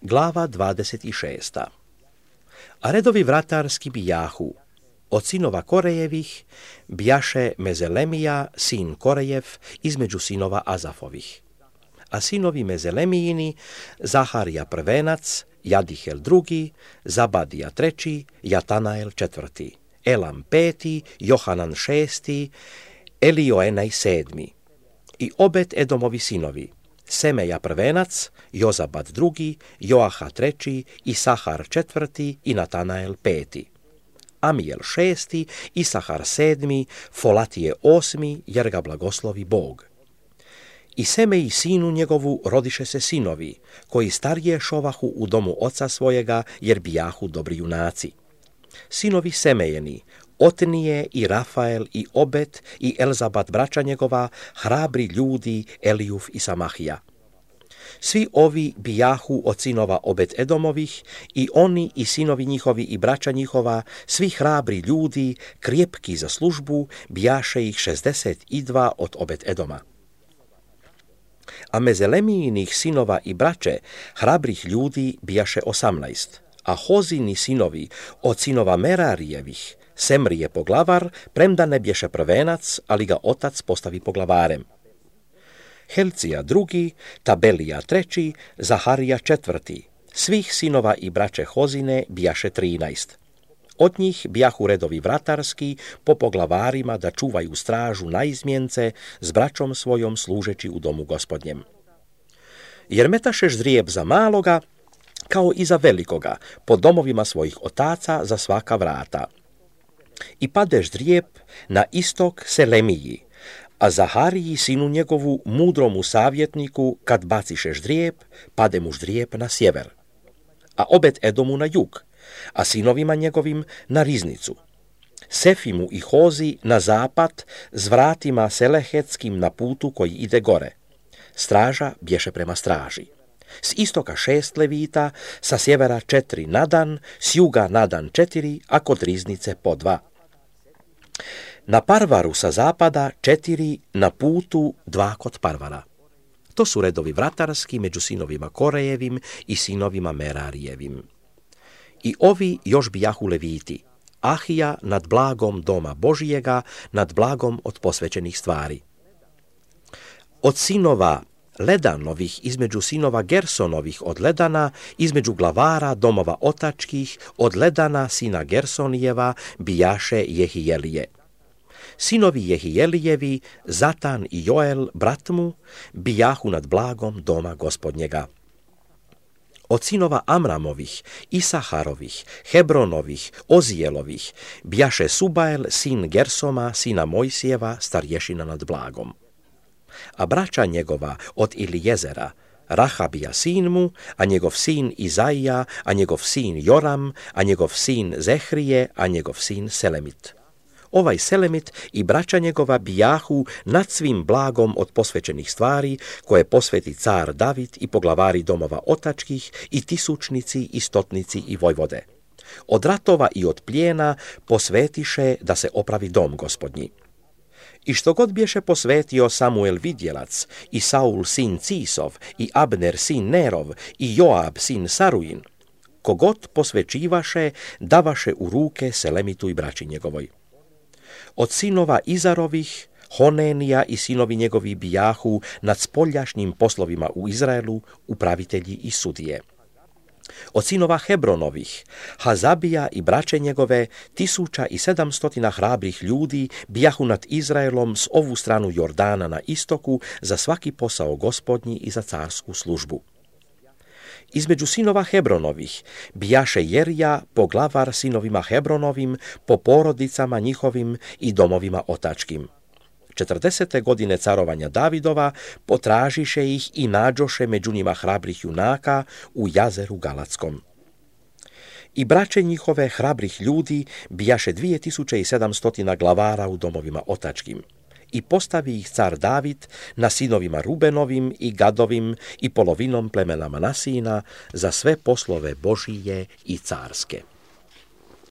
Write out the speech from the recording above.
Glava 26. A redovi vratarski bijahu. Od sinova Korejevih bijaše Mezelemija, sin Korejev, između sinova Azafovih. A sinovi Mezelemijini, Zaharija prvenac, Jadihel drugi, Zabadija treći, Jatanael četvrti, Elam peti, Johanan šesti, Elioenaj sedmi. I Obed Edomovi sinovi, Semeja prvenac, Jozabad drugi, Joaha treći, Isahar četvrti i Natanael peti. Amijel šesti, Isahar sedmi, Folatije osmi, jer ga blagoslovi Bog. I Semeji sinu njegovu rodiše se sinovi, koji starije šovahu u domu oca svojega, jer bijahu dobri junaci. Sinovi Semejeni, Otnije i Rafael i Obed i Elzabad braća njegova, hrabri ljudi Elijuf i Samahija. Svi ovi bijahu od sinova Obed Edomovih, i oni i sinovi njihovi i braća njihova, svi hrabri ljudi, krijepki za službu, bijaše ih 62 od Obed Edoma. A Mezelemijinih sinova i braće, hrabrih ljudi, bijaše 18, a Hozini sinovi od sinova Merarijevih, Semrije poglavar, premda ne bješe prvenac, ali ga otac postavi poglavarem. Helcija drugi, Tabelija treći, Zaharija četvrti, svih sinova i braće Hozine bijaše 13. Od njih bijahu redovi vratarski po poglavarima da čuvaju stražu na izmjence s braćom svojom služeći u domu gospodnjem. Jer metaše ždrijeb za maloga, kao i za velikoga, po domovima svojih otaca za svaka vrata. I pade ždrijeb na istok Selemiji, a Zahariji sinu njegovu mudromu savjetniku, kad baciše ždrijeb, pade mu ždrijeb na sjever. A Obed Edomu na jug, a sinovima njegovim na riznicu. Sefimu i Hozi na zapad, s vratima selehetskim na putu koji ide gore. Straža bješe prema straži. S istoka 6 levita, sa sjevera 4 na dan, s juga na dan 4, a kod riznice po 2. Na parvaru sa zapada 4, na putu 2 kod parvara. To su redovi vratarski među sinovima Korejevim i sinovima Merarijevim. I ovi još bijahu leviti, Ahija nad blagom doma Božijega, nad blagom od posvećenih stvari. Od sinova Ledanovih, između sinova Gersonovih od Ledana, između glavara domova otačkih, od Ledana sina Gersonijeva bijaše Jehijelije. Sinovi Jehijelijevi, Zatan i Joel, brat mu, bijahu nad blagom doma gospodnjega. Od sinova Amramovih, Isaharovih, Hebronovih, Ozijelovih, bijaše Subael, sin Gersoma, sina Mojsijeva, starješina nad blagom. A braća njegova od Ilijezera, Rahabija sin mu, a njegov sin Izaija, a njegov sin Joram, a njegov sin Zehrije, a njegov sin Selemit. Ovaj Selemit i braća njegova bijahu nad svim blagom od posvećenih stvari, koje posveti car David i poglavari domova otačkih, i tisućnici, i stotnici, i vojvode. Od ratova i od plijena posvetiše da se opravi dom gospodnji. I što god bješe posvetio Samuel vidjelac, i Saul sin Cisov, i Abner sin Nerov, i Joab sin Saruin, kogod posvećivaše, davaše u ruke Selemitu i braći njegovoj. Od sinova Izarovih, Honenija i sinovi njegovi bijahu nad spoljašnjim poslovima u Izraelu, upravitelji i sudije. Od sinova Hebronovih, Hazabija i braće njegove, 1700 hrabrih ljudi bijahu nad Izraelom s ovu stranu Jordana na istoku za svaki posao gospodnji i za carsku službu. Između sinova Hebronovih bijaše Jerija, poglavar sinovima Hebronovim, po porodicama njihovim i domovima otačkim. 40. godine carovanja Davidova potražiše ih i nađoše među njima hrabrih junaka u jazeru Galatskom. I braće njihove hrabrih ljudi bijaše 2700 glavara u domovima otačkim. I postavi ih car David na sinovima Rubenovim i Gadovim i polovinom plemena Manasijina za sve poslove Božije i carske.